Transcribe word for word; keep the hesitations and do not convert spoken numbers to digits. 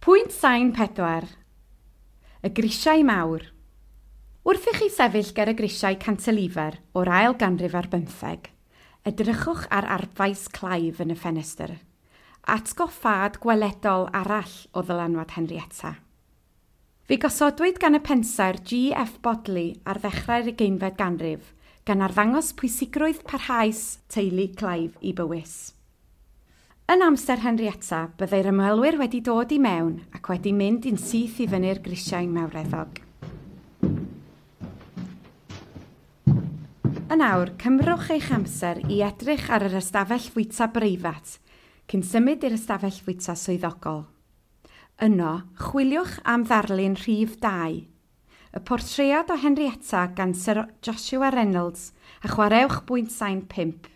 Pwynt sain pedwar. Y grisiau mawr. Wrth i chi sefyll ger y grisiau cantilever o'r ail ganrif ar bymtheg, edrychwch ar arfbais Clive yn y ffenestr. Atgoffad gweledol arall o ddylanwad Henrietta. Fe'i gosodwyd gan y pensaer G F Bodley ar ddechrau'r ugeinfed ganrif, gan arddangos pwysigrwydd parhaus teulu Clive i Bywys. Yn amser Henrietta, byddai'r ymwelwyr wedi dod i mewn ac wedi mynd yn syth i fyny'r grisiau mawreddog. Yn awr, cymrwch eich amser i edrych ar yr ystafell fwyta breifat cyn symud i'r ystafell fwyta swyddogol. Yno, chwiliwch am ddarlun rhif dau, y portread o Henrietta gan Sir Joshua Reynolds a chwaraewch bwynt sain pump.